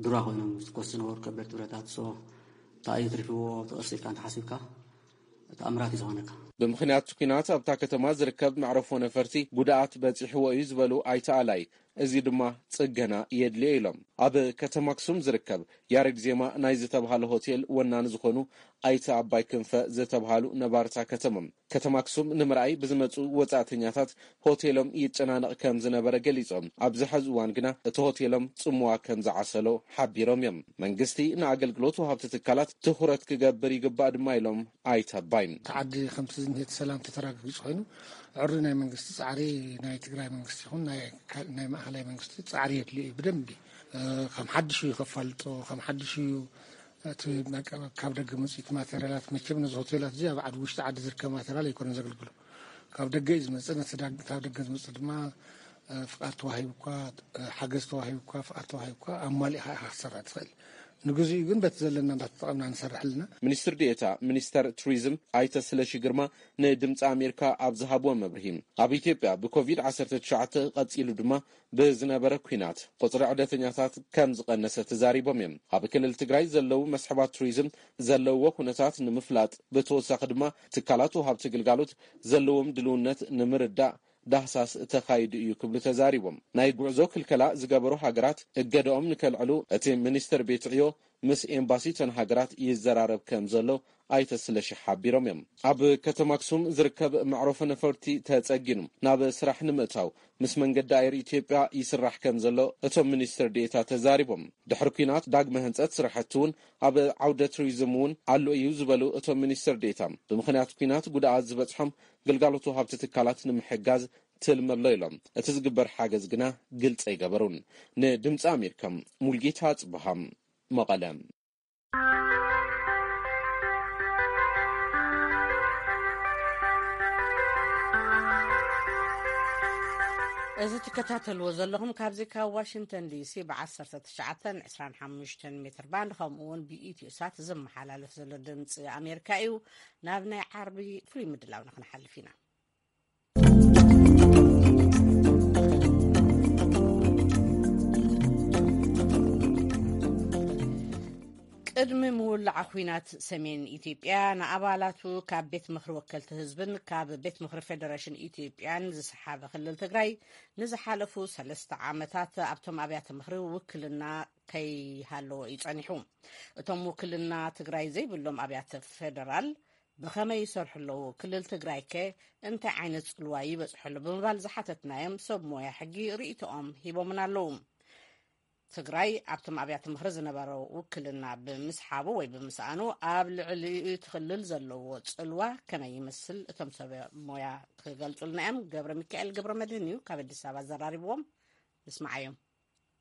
ዱራ ኮይኖም ዝኮሱ ዝነበሩ ከበድቲ ብረታት። ሶ እንታይ እዩ ትሪፍዎ? ተቐርሲልካ እንተሓሲብካ ተኣምራት እዩ ዝኾነካ። ብምኽንያት ኲናት ኣብታ ከተማ ዝርከብ መዕረፎ ነፈርቲ ጉድኣት በፂሕዎ እዩ ዝበሉ ኣይተ ኣላይ፣ እዚ ድማ ፅገና የድልዮ ኢሎም። ኣብ ከተማ ኣክሱም ዝርከብ ያሬድ ዜማ ናይ ዝተብሃለ ሆቴል ወናኒ ዝኾኑ ኣይተ ኣባይ ክንፈ ዝተብሃሉ ነባርታ ከተማ፣ ከተማ ኣክሱም ንምርኣይ ብዝመፁ ወፃእተኛታት ሆቴሎም ይጨናነቕ ከም ዝነበረ ገሊፆም፣ ኣብዚ ሕዚ እዋን ግና እቲ ሆቴሎም ፅምዋ ከም ዝዓሰሎ ሓቢሮም እዮም። መንግስቲ ንኣገልግሎት ወሃብቲ ትካላት ትኹረት ክገብር ይግባእ ድማ ኢሎም ኣይተ ኣባይ። እቲ ዓዲ ከምቲ ዝኒሄ እቲ ሰላም ተተረጋጊፁ ኮይኑ ዕሪ ናይ መንግስቲ ፃዕሪ፣ ናይ ትግራይ መንግስቲ ይኹን ናይ ካል-፣ ናይ ማእኸላይ መንግስቲ ፃዕሪ የድልዮ እዩ። ብደንቢ ከም ሓድሽ እዩ ከፋልጦ፣ ከም ሓድሽ እዩ እቲ መቀ-፣ ካብ ደገ መፅኢት ማቴሪያላት። መቸም ነዚ ሆቴላት እዚ ኣብ ዓዲ ውሽጢ ዓዲ ዝርከብ ማቴሪያል ኣይኮነን ዘገልግሎ፣ ካብ ደገ እዩ ዝመፅእ። ነቲ ዳ-፣ ካብ ደገ ዝመፅእ ድማ ፍቃድ ተዋሂቡ እኳ፣ ሓገዝ ተዋሂቡ እኳ፣ ፍቃድ ተዋሂቡ እኳ ኣማሊእኻ ኢኻ ክትሰርሕ ትኽእል። ንግዚኡ ግን በቲ ዘለና እንዳተጠቐምና ንሰርሕ ኣለና። ሚኒስትር ዴኤታ ሚኒስተር ቱሪዝም ኣይተ ስለሺ ግርማ ንድምፂ ኣሜሪካ ኣብ ዝሃብዎ መብርሂ፣ ኣብ ኢትዮጵያ ብኮቪድ ዓሰርተ ትሽዓተ ቀፂሉ ድማ ብዝነበረ ኲናት ቁፅሪ ዕደተኛታት ከም ዝቐነሰ ተዛሪቦም እዮም። ኣብ ክልል ትግራይ ዘለዉ መስሕባት ቱሪዝም ዘለውዎ ኩነታት ንምፍላጥ፣ ብተወሳኺ ድማ ትካላት ወሃብቲ ግልጋሎት ዘለዎም ድልውነት ንምርዳእ ዳህሳስ ተኻይዱ እዩ ክብሉ ተዛሪቦም። ናይ ጉዕዞ ክልከላ ዝገበሩ ሃገራት እገደኦም ንከልዕሉ እቲ ሚኒስትር ቤት ዕዮ ምስ ኤምባሲ እተን ሃገራት ይዘራረብ ከም ዘሎ ኣይተ ስለሺ ሓቢሮም እዮም። ኣብ ከተማ ኣክሱም ዝርከብ መዕረፎ ነፈርቲ ተጸጊኑ ናብ ስራሕ ንምእታው ምስ መንገዲ ኣየር ኢትዮጵያ ይስራሕ ከም ዘሎ እቶም ሚኒስትር ዴኤታ ተዛሪቦም። ድሕሪ ኲናት ዳግመ ህንጸት ስራሕቲ እውን ኣብ ዓውደ ቱሪዝም እውን ኣሎ እዩ ዝበሉ እቶም ሚኒስትር ዴኤታ፣ ብምኽንያት ኲናት ጉድኣት ዝበጽሖም ግልጋሎት ወሃብቲ ትካላት ንምሕጋዝ ትልሚ ኣሎ ኢሎም። እቲ ዝግበር ሓገዝ ግና ግልጺ ኣይገበሩን። ንድምፂ ኣሜሪካ ሙልጌታ ጽብሃ፣ መቐለ። እዚ ትከታተልዎ ዘለኹም ካብዚ ካብ ዋሽንግተን ዲሲ ብ ዓሰርተ ትሽዓተ ዕስራን ሓሙሽተን ሜትር ባንድ ከምኡ እውን ብኢትዮ ሳት ዝመሓላለፍ ዘሎ ድምፂ ኣሜሪካ እዩ። ናብ ናይ ዓርቢ ፍሉይ ምድላው ንክንሓልፍ ኢና። ቅድሚ ምውላዓ ኲናት ሰሜን ኢትዮጵያ ንኣባላቱ ካብ ቤት ምኽሪ ወከልቲ ህዝብን ካብ ቤት ምኽሪ ፌደሬሽን ኢትዮጵያን ዝሰሓበ ክልል ትግራይ ንዝሓለፉ ሰለስተ ዓመታት ኣብቶም ኣብያተ ምኽሪ ውክልና ከይሃለዎ እዩ ጸኒሑ። እቶም ውክልና ትግራይ ዘይብሎም ኣብያተ ፌደራል ብኸመይ ይሰርሑ ኣለዉ? ክልል ትግራይ ከ እንታይ ዓይነት ጽልዋ ይበጽሖ ኣሎ? ብምባል ዝሓተትናዮም ሰብ ሞያ ሕጊ ርእይቶኦም ሂቦምና ኣለዉ። ትግራይ ኣብቶም ኣብያተ ምኽሪ ዝነበሮ ውክልና ብምስሓቡ ወይ ብምስኣኑ ኣብ ልዕሊ እቲ ክልል ዘለዎ ጽልዋ ከመይ ይመስል? እቶም ሰብ ሞያ ክገልጹልና እዮም። ገብረ ሚካኤል ገብረ መድህን እዩ ካብ ኣዲስ ኣበባ ዘራሪብዎም። ንስማዓዮም።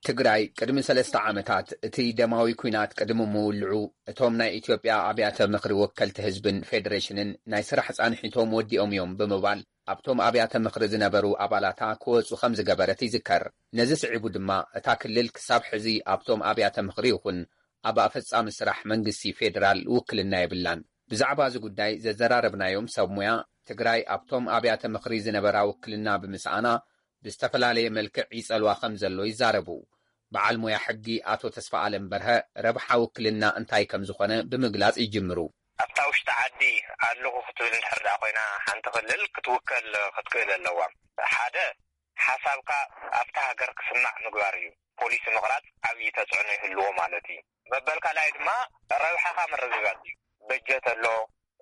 ትግራይ ቅድሚ ሰለስተ ዓመታት እቲ ደማዊ ኲናት ቅድሚ ምውልዑ እቶም ናይ ኢትዮጵያ ኣብያተ ምኽሪ ወከልቲ ህዝብን ፌደሬሽንን ናይ ስራሕ ጻንሒቶም ወዲኦም እዮም ብምባል ኣብቶም ኣብያተ ምኽሪ ዝነበሩ ኣባላታ ክወጹ ከም ዝገበረት ይዝከር። ነዚ ስዒቡ ድማ እታ ክልል ክሳብ ሕዚ ኣብቶም ኣብያተ ምኽሪ ይኹን ኣብ ኣፈጻሚ ስራሕ መንግስቲ ፌደራል ውክልና የብላን። ብዛዕባ እዚ ጉዳይ ዘዘራረብናዮም ሰብ ሙያ ትግራይ ኣብቶም ኣብያተ ምኽሪ ዝነበራ ውክልና ብምስኣና ብዝተፈላለየ መልክዕ ይጸልዋ ከም ዘሎ ይዛረቡ። በዓል ሞያ ሕጊ ኣቶ ተስፋ ኣለም በርሀ ረብሓ ውክልና እንታይ ከም ዝኾነ ብምግላጽ ይጅምሩ። ኣብታ ውሽጢ ዓዲ ኣለኹ ክትብል እንድሕር ደኣ ኮይና ሓንቲ ክልል ክትውከል ክትክእል ኣለዋ። ሓደ ሓሳብካ ኣብታ ሃገር ክስማዕ ምግባር እዩ። ፖሊሲ ምቕራጽ ዓብዪ ተጽዕኖ ይህልዎ ማለት እዩ። መበል ካልኣይ ድማ ረብሓኻ ምርግጋጽ እዩ። በጀት ኣሎ፣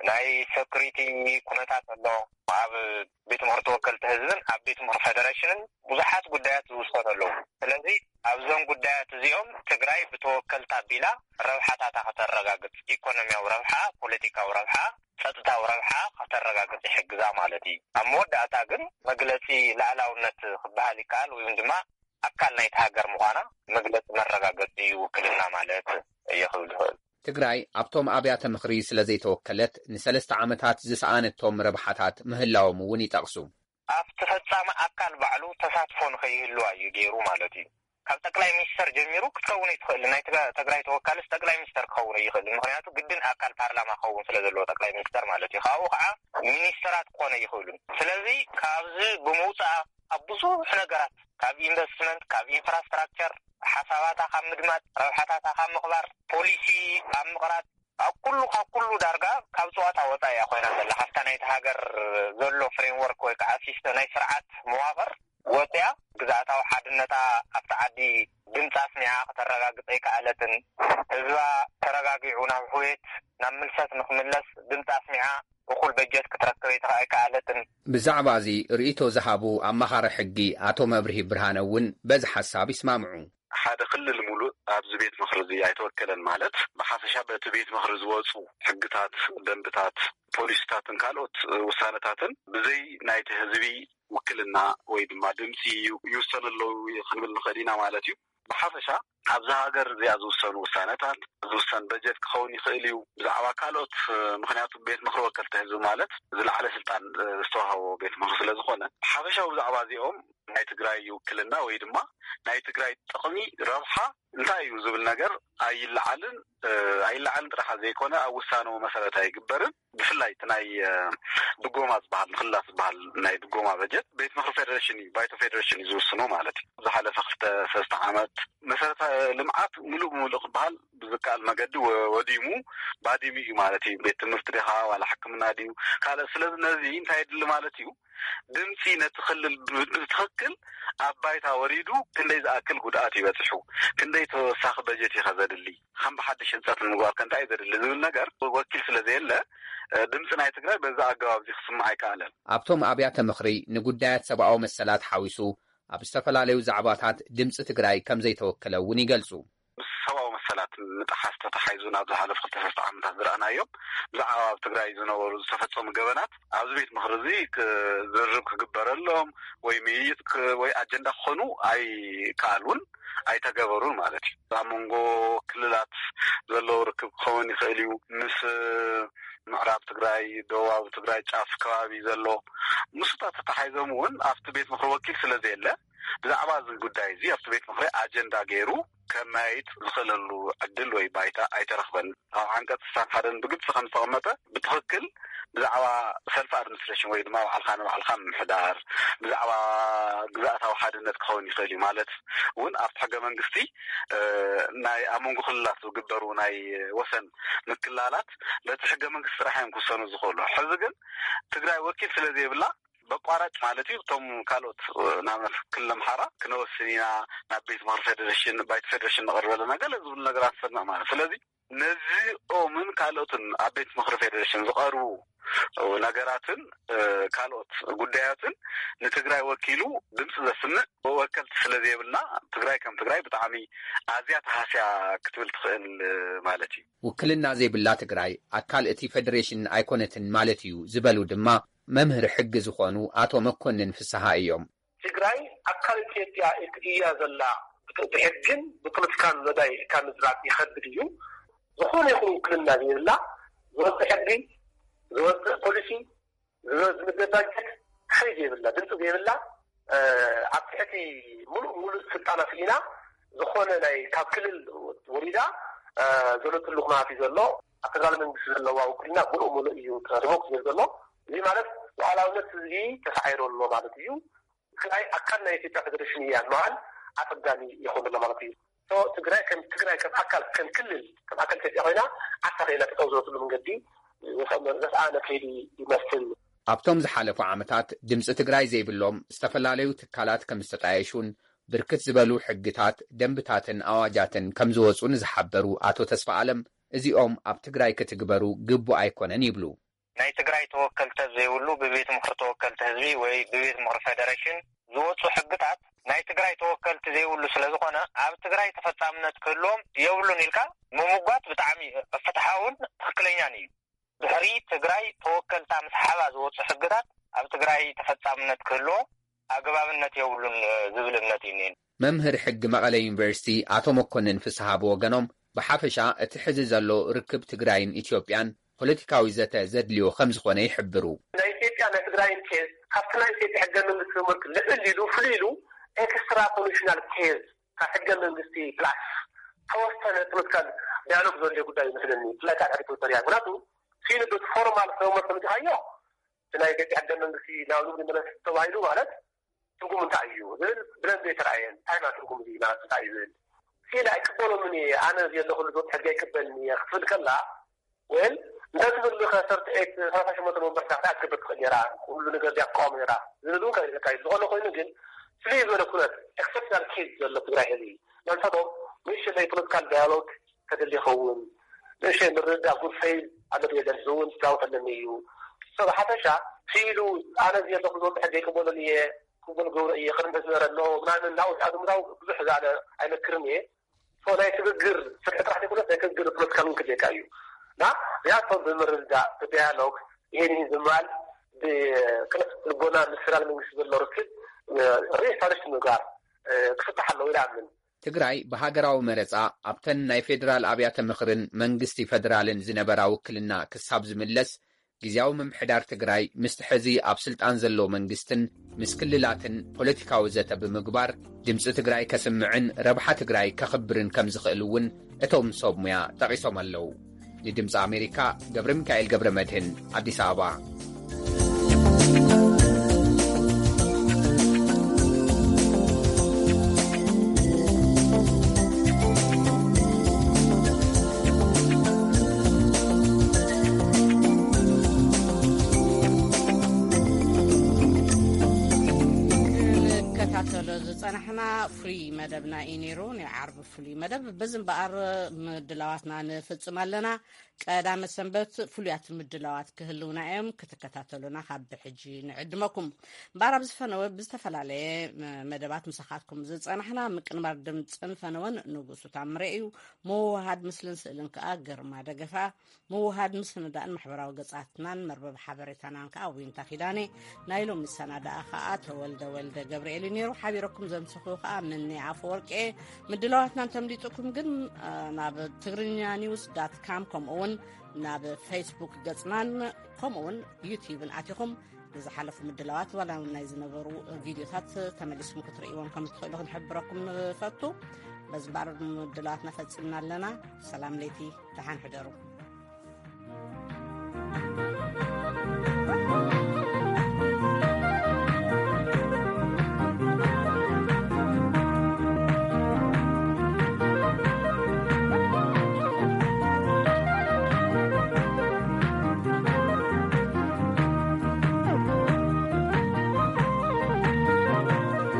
ናይ ሰኩሪቲ ኩነታት ኣሎ። ኣብ ቤት ምኽሪ ተወከልቲ ህዝብን ኣብ ቤት ምኽሪ ፌደሬሽንን ብዙሓት ጉዳያት ዝውሰኑ ኣለዉ። ስለዚ ኣብዞም ጉዳያት እዚኦም ትግራይ ብተወከልታ ኣቢላ ረብሓታታ ከተረጋግጽ፣ ኢኮኖሚያዊ ረብሓ፣ ፖለቲካዊ ረብሓ፣ ጸጥታዊ ረብሓ ከተረጋግጽ ይሕግዛ ማለት እዩ። ኣብ መወዳእታ ግን መግለጺ ላዕላውነት ክበሃል ይከኣል ወይ ድማ ኣካል ናይቲ ሃገር ምዃና መግለጺ መረጋገጺ ውክልና ማለት እየ ክብል ዝኽእል። ትግራይ ኣብቶም ኣብያተ ምኽሪ ስለ ዘይተወከለት ንሰለስተ ዓመታት ዝሰኣነቶም ረብሓታት ምህላዎም እውን ይጠቕሱ። ኣብቲ ፈጻሚ ኣካል ባዕሉ ተሳትፎ ንኸይህልዋ እዩ ገይሩ ማለት እዩ። ካብ ጠቅላይ ሚኒስተር ጀሚሩ ክትከውን ኣይትኽእል። ናይ ትጋ-፣ ትግራይ ተወካልስ ጠቅላይ ሚኒስተር ክኸውን ኣይኽእል። ምኽንያቱ ግድን ኣካል ፓርላማ ክኸውን ስለ ዘለዎ ጠቅላይ ሚኒስተር ማለት እዩ። ካብኡ ከዓ ሚኒስተራት ክኾነ ኣይኽእሉን። ስለዚ ካብዚ ብምውፃእ ኣብ ብዙሕ ነገራት ካብ ኢንቨስትመንት፣ ካብ ኢንፍራስትራክቸር፣ ሓሳባታ ካብ ምድማፅ፣ ረብሓታታ ካብ ምኽባር፣ ፖሊሲ ኣብ ምቕራፅ፣ ኣብ ኩሉ፣ ካብ ኩሉ ዳርጋ ካብ ፀዋታ ወፃኢ እያ ኮይና ዘላ። ካብታ ናይቲ ሃገር ዘሎ ፍሬምወርክ ወይ ከዓ ሲስተም ናይ ስርዓት መዋቕር ወፂኣ ግዝኣታዊ ሓድነታ ኣብቲ ዓዲ ድምፂ ኣስሚዓ ከተረጋግፅ ኣይከኣለትን። ህዝባ ተረጋጊዑ ናብ ሕውየት፣ ናብ ምልሰት ንክምለስ ድምፂ ኣስሚዓ እኹል በጀት ክትረክብ ኣይተ-፣ ኣይከኣለትን። ብዛዕባ እዚ ርእይቶ ዝሃቡ ኣማኻሪ ሕጊ ኣቶ መብርሂ ብርሃነ እውን በዚ ሓሳብ ይስማምዑ። ሓደ ክልል ሙሉእ ኣብዚ ቤት ምኽሪ እዚ ኣይተወከለን ማለት ብሓፈሻ በቲ ቤት ምኽሪ ዝወፁ ሕግታት፣ ደንብታት፣ ፖሊሲታትን ካልኦት ውሳነታትን ብዘይ ናይቲ ህዝቢ ውክልና ወይ ድማ ድምፂ ይውሰኑ ኣለዉ ክንብል ንኽእል ኢና ማለት እዩ። ብሓፈሻ ኣብዛ ሃገር እዚኣ ዝውሰኑ ውሳነታት፣ ዝውሰን በጀት ክኸውን ይኽእል እዩ። ብዛዕባ ካልኦት፣ ምኽንያቱ ቤት ምኽሪ ወከልቲ ህዝቢ ማለት ዝለዓለ ስልጣን ዝተዋህቦ ቤት ምኽሪ ስለ ዝኾነ፣ ሓፈሻዊ ብዛዕባ እዚኦም ናይ ትግራይ ውክልና ወይ ድማ ናይ ትግራይ ጥቕሚ፣ ረብሓ እንታይ እዩ ዝብል ነገር ኣይለዓልን፣ እ፣ ኣይለዓልን ጥራሕ ዘይኮነ ኣብ ውሳነኡ መሰረት ኣይግበርን። ብፍላይ እቲ ናይ፣ እ፣ ድጎማ ዝበሃል፣ ምኽልላፍ ዝበሃል ናይ ድጎማ በጀት ቤት ምኽሪ ፌደሬሽን እዩ፣ ባይቶ ፌደሬሽን እዩ ዝውስኖ ማለት እዩ። ዝሓለፈ ክልተ ሰለስተ ዓመት መሰረተ ልምዓት ምሉእ ብምሉእ ክበሃል ብዝከኣል መገዲ ወ-፣ ወዲሙ፣ ባዲሙ እዩ ማለት እዩ። ቤት ትምህርቲ ዲኻ ዋላ ሕክምና ድዩ ካልእ? ስለዚ ነዚ እንታይ የድሊ ማለት እዩ? ድምፂ ነቲ ክልል ብ-፣ ብትኽክል ኣብ ባይታ ወሪዱ ክንደይ ዝኣክል ጉድኣት ይበፅሑ፣ ክንደይ ተወሳኺ በጀት እዩ ከ ዘድሊ፣ ከም ብሓድሽ ህንፀት ንምግባር ከ እንታይ እዩ ዘድሊ ዝብል ነገር ወኪል ስለ ዘየለ፣ እ፣ ድምፂ ናይ ትግራይ በዛ ኣገባብ እዚ ክስማዕ ኣይከኣለን። ኣብቶም ኣብያተ ምኽሪ ንጉዳያት ሰብኣዊ መሰላት ሓዊሱ ኣብ ዝተፈላለዩ ዛዕባታት ድምፂ ትግራይ ከም ዘይተወከለ እውን ይገልፁ። ምስ ሰብኣዊ መሰላት ምጥሓስ ተተሓይዙ ናብ ዝሓለፉ ክልተ ሰለስተ ዓመታት ዝረኣናዮም ብዛዕባ ኣብ ትግራይ ዝነበሩ ዝተፈጸሙ ገበናት ኣብዚ ቤት ምኽሪ እዚ ክ-፣ ዝርርብ ክግበረሎም ወይ ምይይጥ ክ-፣ ወይ ኣጀንዳ ክኾኑ ኣይከኣሉን ኣይተገበሩን ማለት እዩ። ኣብ መንጎ ክልላት ዘለዉ ርክብ ክኸውን ይኽእል እዩ። ምስ ምዕራብ ትግራይ፣ ደቡባዊ ትግራይ ጫፍ ከባቢ ዘሎ ምስታ ተተሓሒዞም እውን ኣብቲ ቤት ምኽሪ ወኪል ስለ ዘየለ ብዛዕባ እዚ ጉዳይ እዚ ኣብቲ ቤት ምኽሪ ኣጀንዳ ገይሩ ከመያይጥ ዝኽእለሉ ዕድል ወይ ባይታ ኣይተረኽበን። ኣብ ዓንቀጽ ስሳን ሓደን ብግልጺ ከም ዝተቐመጠ ብትኽክል ብዛዕባ ሰልፍ ኣድሚኒስትሬሽን ወይ ድማ ባዕልኻ ንባዕልኻ ምምሕዳር፣ ብዛዕባ ግዛኣታዊ ሓድነት ክኸውን ይኽእል እዩ። ማለት እውን ኣብቲ ሕገ መንግስቲ፣ እ፣ ናይ ኣብ መንጎ ክልላት ዝግበሩ ናይ ወሰን ምክላላት በቲ ሕገ መንግስቲ ጥራሕ እዮም ክውሰኑ ዝኽእሉ። ሕዚ ግን ትግራይ ወኪል ስለ ዘይብላ በቋራጭ ማለት እዩ እቶም ካልኦት፣ እ፣ ንኣብነት ክልል ኣምሓራ ክነወስን ኢና፣ ናብ ቤት ምኽሪ ፌዴሬሽን፣ ባይቶ ፌዴሬሽን ንቐርብ ኣለና ገለ ዝብሉ ነገራት ሰምዕ ማለት። ስለዚ ነዚኦምን ካልኦትን ኣብ ቤት ምኽሪ ፌዴሬሽን ዝቐርቡ ነገራትን፣ እ፣ ካልኦት ጉዳያትን ንትግራይ ወኪሉ ድምፂ ዘስምዕ ወከልቲ ስለ ዘይብልና ትግራይ ከም ትግራይ ብጣዕሚ ኣዝያ ተሃስያ ክትብል ትኽእል፣ እ፣ ማለት እዩ። ውክልና ዘይብላ ትግራይ ኣካል እቲ ፌዴሬሽን ኣይኮነትን ማለት እዩ ዝበሉ ድማ መምህር ሕጊ ዝኾኑ ኣቶ መኮንን ፍስሃ እዮም። ትግራይ ኣካል ኢትዮጵያ እያ ዘላ። ብሕግን ብፖለቲካን መዳይ ካብ ምዝራብ ይኸብድ እዩ። ዝኾነ ይኹን ውክልና ዘይብላ፣ ዝወፅእ ሕጊ፣ ዝወፅእ ፖሊሲ፣ ዝወ-፣ ዝምደብ ባጀት፣ ሓይሊ ዘይብላ፣ ድምፂ ዘይብላ፣ እ፣ ኣብ ትሕቲ ሙሉእ ሙሉእ ስልጣና ስኢና ዝኾነ ናይ ካብ ክልል ወሪዳ፣ እ፣ ዘለትሉ ኩነታት እዩ ዘሎ። ኣብ ፌደራል መንግስቲ ዘለዋ ውክልና ሙሉእ ሙሉእ እዩ ሪቮክ ዘሎ። እዚ ማለት ሉዓላውነት ህዝቢ ተሳዒሩ ኣሎ ማለት እዩ። ትግራይ ኣካል ናይ ኢትዮጵያ ፌደሬሽን እያ ምባል ኣጸጋሚ ይኸውን ኣሎ ማለት እዩ። ሶ ትግራይ ከም ትግራይ ከም ኣካል ከም ክልል ከም ኣካል ኢትዮጵያ ኮይና ዓሳ ከይላ ጠጠው ዝበለትሉ መንገዲ ዘስኣነ ከይዲ ይመስል። ኣብቶም ዝሓለፉ ዓመታት ድምፂ ትግራይ ዘይብሎም ዝተፈላለዩ ትካላት ከም ዝተጣየሹን ብርክት ዝበሉ ሕግታት፣ ደንብታትን ኣዋጃትን ከም ዝወፁ ንዝሓበሩ ኣቶ ተስፋ ኣለም እዚኦም ኣብ ትግራይ ክትግበሩ ግቡእ ኣይኮነን ይብሉ። ናይ ትግራይ ተወከልቲ ዘይብሉ ብቤት ምኽሪ ተወከልቲ ህዝቢ ወይ ብቤት ምኽሪ ፌደሬሽን ዝወፁ ሕግታት ናይ ትግራይ ተወከልቲ ዘይብሉ ስለ ዝኾነ ኣብ ትግራይ ተፈጻምነት ክህልዎም የብሉን ኢልካ ምምጓት ብጣዕሚ ፍትሓውን ትኽክለኛን እዩ። ድሕሪ ትግራይ ተወከልታ ምስ ሓባ ዝወፁ ሕግታት ኣብ ትግራይ ተፈጻምነት ክህልዎ ኣገባብነት የብሉን ዝብል እምነት እዩ እኒኤኒ። መምህር ሕጊ መቐለ ዩኒቨርሲቲ ኣቶ መኮንን ፍስሃ ብወገኖም ብሓፈሻ እቲ ሕዚ ዘሎ ርክብ ትግራይን ኢትዮጵያን ፖለቲካዊ ዘተ ዘድልዮ ከም ዝኾነ ይሕብሩ። ናይ ኢትዮጵያ ናይ ትግራይን ኬዝ ካብቲ ናይ ኢትዮጵያ ሕገ መንግስቲ ትምህርቲ ልዕል ኢሉ ፍልይ ኢሉ ኤክስትራ ኮንስቲቱሽናል ኬዝ ካብ ሕገ መንግስቲ ፕላስ ተወሰነ ፖለቲካል ዳያሎግ ዘድልዮ ጉዳይ ይመስለኒ። ብፍላይ ካብ ኤሪትሪያ ምክንያቱ ፊል ብቲ ፎርማል ፍሬምወርክ ተመፂኻዮ እቲ ናይ ኢትዮጵያ ሕገ መንግስቲ ናብ ንግዲ መለስ ተባሂሉ ማለት ትርጉም እንታይ እዩ ዝብል ብደንቢ ኣይተረኣየን። እንታይ ማለት ትርጉም እዚ ማለት እንታይ እዩ ዝብል ሲል ኣይቅበሎምን እየ። ኣነ ዘለኹሉ ዞት ሕጊ ኣይቅበልን እየ ክትብል ከላ ወይም እንታይ ትብል ከ ሰርቲ ኤት ሰላሳ ሸሞንተ መንበርታ እንታይ ክትገብር ትኽእል ነራ? ኩሉ ነገር ዲያ ክቃወም ነራ ዝብል እውን ከይልካ እዩ። ዝኾነ ኮይኑ ግን ፍልይ ዝበለ ኩነት ኤክሰፕሽናል ኬዝ ዘሎ ትግራይ ህዝቢ መንፈቶም ንእሽተይ ፖለቲካል ዳያሎግ ተደሊ ይኸውን። ንእሽተይ ምርድዳእ ጉድ ፌዝ ኣሎ ብየ ዘንት እውን ክዛወት ኣለኒ እዩ። ሰብ ሓፈሻ ስኢሉ ኣነ እዚ ዘለኹ ዞት ሕጊ ኣይቅበሎን እየ ክብል ገብረ እየ ቅድሚ ዝነበረ ኣሎ ምናምን ናብኡ ኣዝምራው ብዙሕ ዝኣለ ኣይመክርን እየ። ሶ ናይ ስግግር ስርሒ ጥራሕ ዘይኮነስ ናይ ስግግር ፖለቲካ እውን ክልየካ እዩ። እና እዚኣቶም ብምርድዳእ ብዳያሎግ ይሄን ይህን ዝምባል ብቅንዕ ልቦና ምስ ፌደራል መንግስቲ ዘሎ ርክብ ሪስታብሊሽ ምግባር ክፍታሕ ኣለዎ ኢለ ኣምን። ትግራይ ብሃገራዊ መረፃ ኣብተን ናይ ፌደራል ኣብያተ ምኽርን መንግስቲ ፌደራልን ዝነበራ ውክልና ክሳብ ዝምለስ ግዝያዊ ምምሕዳር ትግራይ ምስቲ ሕዚ ኣብ ስልጣን ዘሎ መንግስትን ምስ ክልላትን ፖለቲካዊ ዘተ ብምግባር ድምፂ ትግራይ ከስምዕን ረብሓ ትግራይ ከኽብርን ከም ዝኽእል እውን እቶም ሰብ ሙያ ጠቒሶም ኣለዉ። ንድምፂ ኣሜሪካ ገብረ ሚካኤል ገብረ መድህን፣ ኣዲስ ኣበባ። ዝፀናሕና ፍሉይ መደብና እዩ ነይሩ። ናይ ዓርቢ ፍሉይ መደብ በዚ እምበኣር ምድላዋትና ንፍፅም ኣለና። ቀዳመ ሰንበት ፍሉያት ምድላዋት ክህልውና እዮም። ክትከታተሉና ካብ ብሕጂ ንዕድመኩም። እምበኣር ኣብዚ ፈነወ ብዝተፈላለየ መደባት ምሳኻትኩም ዝፀናሕና ምቅንባር ድምፅን ፈነወን ንጉሱ ታምረ እዩ። ምውሃድ ምስልን ስእልን ከዓ ግርማ ደገፋ። ምውሃድ ምስንዳእን ማሕበራዊ ገጻትናን መርበብ ሓበሬታናን ከኣ ዊንታ ኪዳነ፣ ናይ ሎሚ ሰናዳኣ ከኣ ተወልደ ወልደ ገብርኤል እዩ ነይሩ። ሓቢረኩም ዘምሰኹ ከኣ ምኒ ኣፈወርቂ። ምድላዋትና እንተምሊጡኩም ግን ናብ ትግርኛ ኒውስ ዳት ካም ከምኡ እውን ናብ ፌስቡክ ገጽናን ከምኡ እውን ዩትዩብን ኣቲኹም ንዝሓለፉ ምድላዋት ዋላ እውን ናይ ዝነበሩ ቪድዮታት ተመሊስኩም ክትርእይዎም ከም ዝትኽእሉ ክንሕብረኩም ንፈቱ። በዚ እምበኣር ምድላዋትና ፈጺምና ኣለና። ሰላም ለይቲ፣ ደሓን ሕደሩ።